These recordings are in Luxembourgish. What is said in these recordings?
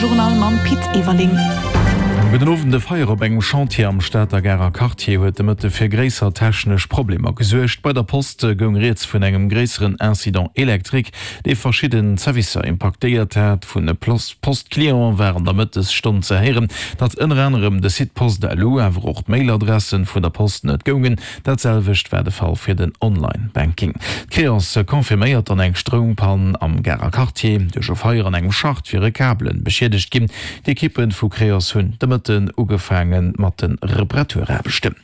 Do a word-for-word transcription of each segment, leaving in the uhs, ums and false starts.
Journal mam Pit Everling. Gudden Owend, E Feier op engem Chantier am Stater Garer Quartier huet de Mëtte fir gréisser technesch Problemer gesuergt. Bei der Post goung rieds vun engem gréisseren Incident électrique, dee verschidden Zerwisser impaktéiert hat. Vun de Post-Cliente war an der Mëttesstonn ze héieren, datt ënner anerem de Site Post.lu, awer och d'Mailadressen vun der Post net goungen. Dat selwecht war de Fall fir den Online-Banking. D'Creos confirméiert dann eng Stroumpann am Garer Quartier. Duerch e Feier an engem Schacht wiere Kabelen beschiedegt ginn. D'Ekippe vu Creos hunn de Mëtten ugefaange mat de Reparaturaarbechten.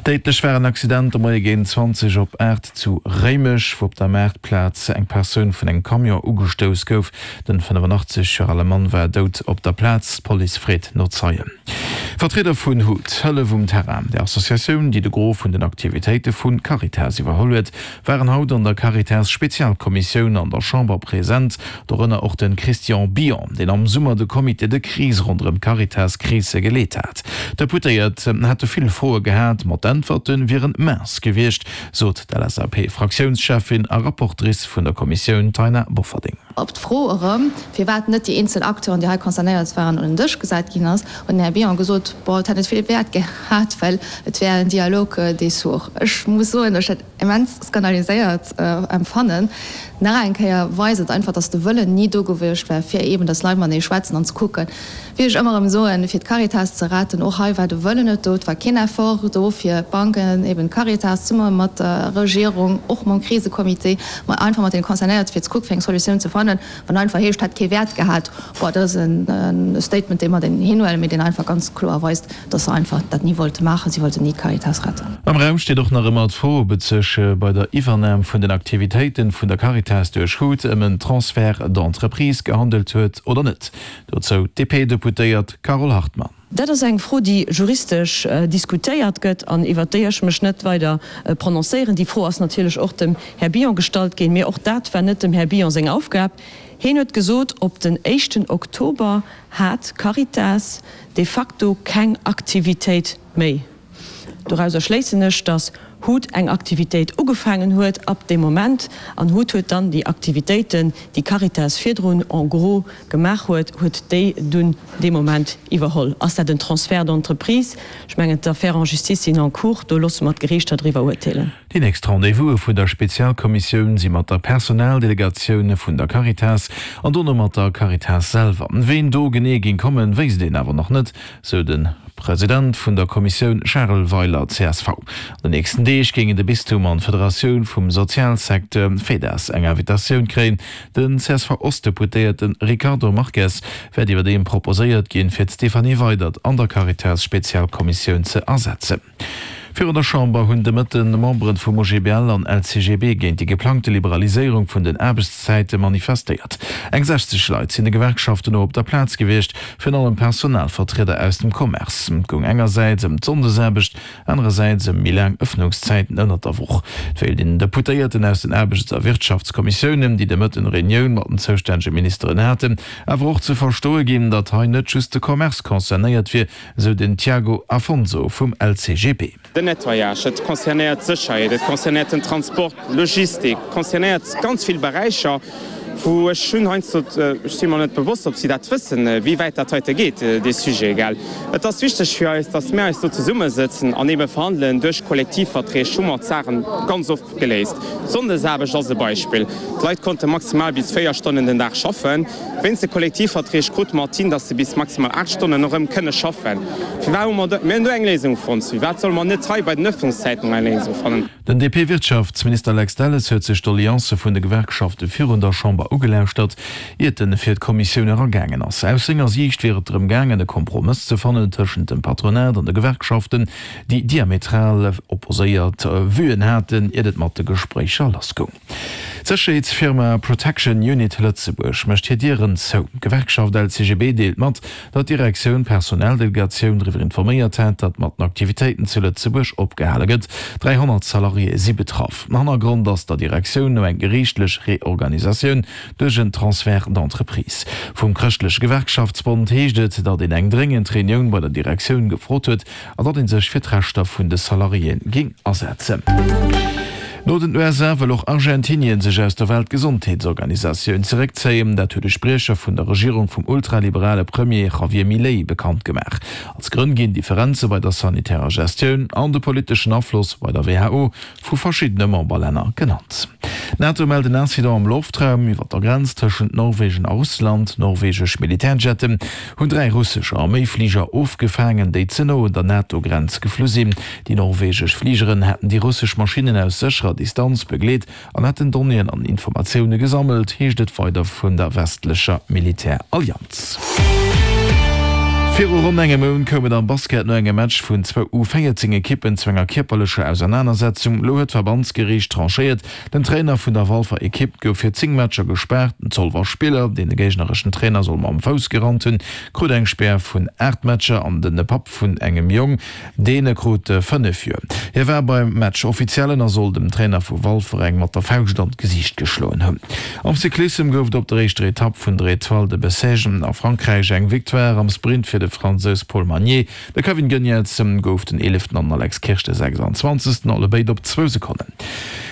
Déidlech war en Accident de Moie géint zwanzeg op aacht zu Réimech, wou op der Maartplaz eng Persoun vun engem Camion ugestouss gouf. Den fënnefenachtzeg Joer ale Mann war dout op der Plaz. D'Police freet no Zeien. Vertrieder vun hut, Hëllef um Terrain, der Associatioun, déi de Gros vun den Aktivitéite vu Caritas iwwerholl huet, waren haut an der Caritas-Spezialkommissioun an der Chamber present, dorënner och de Christian Billon, deen am Summer de Comité de crise ronderëm d'Caritas-Krise geleet hat. D'Deputéiert hätte vill Froe gehat, ma d'Äntwerte wieren mince gewiescht, sot d'LSAP-Fraktiounscheffin a Rapportrice vun der Kommissioun Taina Bofferding. Op d'Fro erëm, firwat net déi eenzel Acteuren, déi hei concernéiert waren, un den Dësch gesat ginn ass, huet den Här Bion gesot, bon, et hätt net vill Wäert gehat, well et wär en Dialogue des sourds. Ech muss soen, datt ech dat immens skandaliséiert empfannen. Nach eng Kéier weist et einfach, datt de Wëllen ni do gewiescht wär, fir eeben, datt Leit matenee schwätzen an ze kucken, wéi ech ëmmer erëm soen, fir d'Caritas ze retten. Och hei war de Wëllen net do, et war keen Effort do, fir d'Banken, eeben d'Caritas, zesumme mat der Regierung, och mam Krisecomité, ma einfach mat deene Concernéierte fir ze kucken, fir eng Solutioun ze fannen. Wann einfach heescht, hätt kee Wäert gehat, boah, dat ass e Statement, dee mer den hinhuelen, mee deen einfach ganz kloer weist, dass se einfach dat ni wollte maachen. Si wollten ni d'Caritas retten. Am Raum steet och nach ëmmer d'Fro, ob et sech bei der Iwwernam vun den Aktivitéiten vun der Caritas duerch hut ëm en Transfert d'entreprise gehandelt huet oder net. Dozou d'DP-Deputéiert Carole Hartmann. Dat ass eng Fro, déi juristesch diskutéiert gëtt an iwwert déi ech mech net weider prononcéieren. Déi Fro ass natierlech och dem Här Billon gestallt ginn, mee och dat war net dem Här Billon seng Aufgab. Hien huet gesot, op den éischten Oktober hat d'Caritas de facto keng Aktivitéit méi. Dorauser schléissen ech, datt hut eng Aktivitéit ugefaangen huet ab deem Moment an hut huet dann déi Aktivitéiten, déi Caritas virdrun en gros gemaach huet, huet déi dunn dee Moment iwwerholl. Ass dat en Transfert d'entreprise? Ech mengen, d'Affaires en justice sinn en cours, do loosse mer d'Geriichter driwwer urteelen. Déi nächst Rendez-vouse vun der Spezialkommissioun si mat der Personaldelegatioun vun der Caritas an dono mat der Caritas selwer. Ween do genee géing kommen, wéisst een awer nach net, sou de President vun der Kommissioun Charel Weiler, csv. An den nächsten Deeg géingen de Bistum an d'Federatioun vum Sozialsecteur, Fedas, eng Invitatioun kréien. Den C S V-Ost-Deputéierte Ricardo Marques wäert iwwerdeem proposéiert ginn, fir d'Stéphanie Weydert an der Caritas-Spezialkommissioun ze ersetzen. Virun der Chamber hunn de Mëtten Memberen vum O G B L an L C G B géint déi geplangte Liberaliséierung vun den Aarbechtszäite manifestéiert. Eng sechzeg Leit sinn de Gewerkschaften no op der Plaz gewiescht, virun allem Personalvertrieder aus dem Commerce. Et goung engersäits ëm d'Sonndesaarbecht, anerersäits ëm méi laang Ëffnungszäiten ënnert der Woch. Et wéilt een den Deputéierten aus den Aarbechts a Wirtschaftskommissiounen, déi de Mëtten Reunioun mat den zoustännege Ministeren haten, awer och ze verstoe ginn, datt hei net just de Commerce concernéiert wier, esou den Tiago Afonso vum L C G B. Den Nettoyage, et concernéiert d'Sécherheet, et concernéiert den Transport, d'Logistik, concernéiert ganz vill Beräicher, wou ech hunn heiansdo, ech si mer net bewosst, ob si dat wëssen, wéi wäit dat heite geet, dee Sujet, gell. Et ass wichteg fir eis, dass mir eis do zesummesëtzen an eebe verhandelen. Duerch Kollektivverträg hu mer d'Saachen ganz oft geléist. D'Sonndesaarbecht ass e Beispill. D'Leit konnte maximal bis véier Stonnen den Dag schaffen. Wéinst de Kollektivverträg krute mer et hin, dass se bis maximal aacht Stonnen erëm kënne schaffen. Firwat hu mer do, mir hunn do eng Léisung fonnt, firwat solle mer net hei bei den Ëffnungszäiten eng Léisung fannen? Den D P-Wirtschaftsminister Lex Delles huet sech d'Doleancë vun de Gewerkschafte virun der Chamber ugelauschtert, iert en fir d'Kommissioun eragaangen ass. Aus senger Siicht wier et drëm gaangen, e Kompromëss ze fannen tëschent dem Patronat an de Gewerkschaften, déi diametral opposéiert Vuen haten, iert et mat de Gespréicher lassgoung. D'Sécherheetsfirma Protection Unit Lëtzebuerg mécht hir Dieren zou. D'Gewerkschaft L C G B deelt mat, datt d'Direktioun d'Personaldelegatioun driwwer informéiert hat, datt mat den Aktivitéiten zu Lëtzebuerg opgehale gëtt. dräihonnert Salariéë si betraff. Hannergrond ass der Direktioun no eng geriichtlech Reorganisatioun duerch en Transfert d'entreprise. Vum Chrëschtleche Gewerkschaftsbond heescht et, datt een eng dréngend Reunioun bei der Direktioun gefrot huet an datt ee sech fir d'Rechter vun de Salariéë géing asetzen. No den U S A wëll och Argentinien sech aus der Weltgesondheetsorganisatioun zeréckzéien. Dat huet e Spriecher vun der Regierung vum ultraliberale Premier Javier Milei bekannt gemaach. Als Grënn ginn Differenze bei der sanitärer Gestioun an de politeschen Afloss bei der W H O vu verschiddene Memberlänner genannt. D'NATO mellt en Incident am Loftraum iwwer der Grenz tëschent Norwegen a Russland. Norwegesch Militärjetten hunn dräi russesch Arméifliger ofgefaangen, déi ze no un der NATO-Grenz geflu sinn. Déi norwegesch Fligeren hätten déi russesch Maschinnen aus sécherer Distanz begleet an hätten Donnéeën an Informatioune gesammelt, heescht et weider vun der westlecher Militärallianz. Viru ronn engem Mount koum et am Basket no engem Match vun zwou U véierzéng Ekippen zu enger kierperlecher Ausernanersetzung. Elo huet d'Verbandsgeriicht tranchéiert. Den Trainer vun der Walfer Ekipp gouf fir zéng Matcher gespaart. Den Zolwer Spiller, deen de géignereschen Trainer soll mam Fouss gerannt hunn, krut eng Spär vun aacht Matcher an de Papp vun engem Jong, dee krut fënnef Joer. Hie war beim Match Offiziellen a soll dem Trainer vu Walfer eng mat der Fauscht an d'Gesiicht geschloen hunn. Am Cyclissem gouf et op der éischter Etapp vun der Etoile de Bessèges a Frankräich eng Victoire am Sprint fir de Fransous Paul Magnier. De Kevin Geniets gouf den eeleften an Alex Kirsch de sechsanzwanzegsten, allebéid op zwou Sekonnen.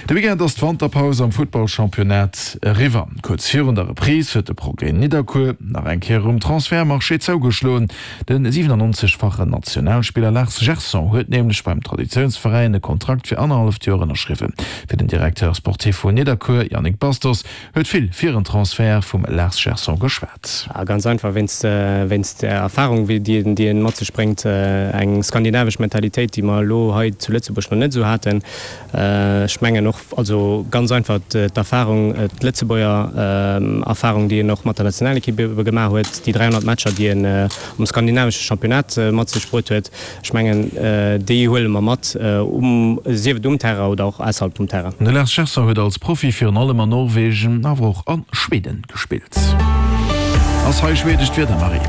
De Weekend ass d'Wanterpaus am Futtballchampionnat eriwwer. Kuerz virun der Reprise huet de Progrès Nidderkuer nach eng Kéier um Transfertmarché zougeschloen. De siwenannonzeg-fachen Nationalspiller Lars Gerson huet nämlech beim Traditiounsveräin e Kontrakt fir annerhalleft Joer ënnerschriwwen. Fir den Directeur sportif vun Nidderkuer, Yannick Bastos, huet vill fir en Transfert vum Lars Gerson geschwat. Ganz einfach wéinst wéinst der Erfahrung, wéi déi déi en mat sech bréngt, eng skandinavesch Mentalitéit, déi mer elo hei zu Lëtzebuerg nach net esou haten. Ech mengen och also ganz einfach d'Erfahrung, d'Lëtzebuerger Erfahrung, déi en och mat der Nationalekipp ebe gemaach huet, déi dräihonnert Matcher, déi en am skandinavesche Championnat mat sech bruet huet. Ech mengen, déi huele mer mat, um sief et um Terrain oder och ausserhalb vum Terrain. De Lars Gerson huet als Profi virun allem an Norwegen, awer och a Schweden gespillt. Ass hei schwedescht Wieder, Marie?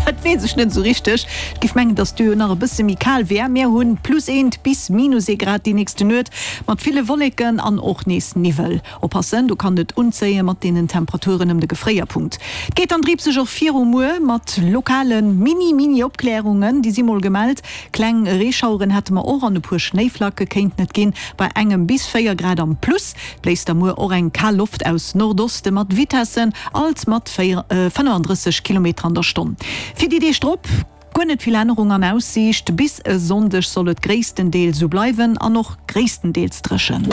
Dat weess ech net esou richteg. Ech géif mengen, dass do jo nach e bësse méi kal wär. Mir hunn plus eent bis minus ee Grad déi nächste Nuet, mat ville Wolleken an och nees Niwwel. Oppassen, do kann et unzéie mat deenen Temperaturen ëm de Gefréierpunkt. Et geet dann dripseg och viru muer mat lokale mini mini Opklärungen, déi si mol gemellt. Kleng Reeschaueren hätte mer och an e puer Schnéiflacke kéinten et ginn, bei engem bis véier Grad am Plus. Et bléist da muer och eng kal Loft aus Nordoste mat Vitessen alt mat fënnefandrësseg Kilometer an der Stonn. Fir déi Deeg drop guer net vill Ännerung an Aussiicht, bis e Sonndeg soll et gréisstendeels sou bleiwen an och gréisstendeels dréchen.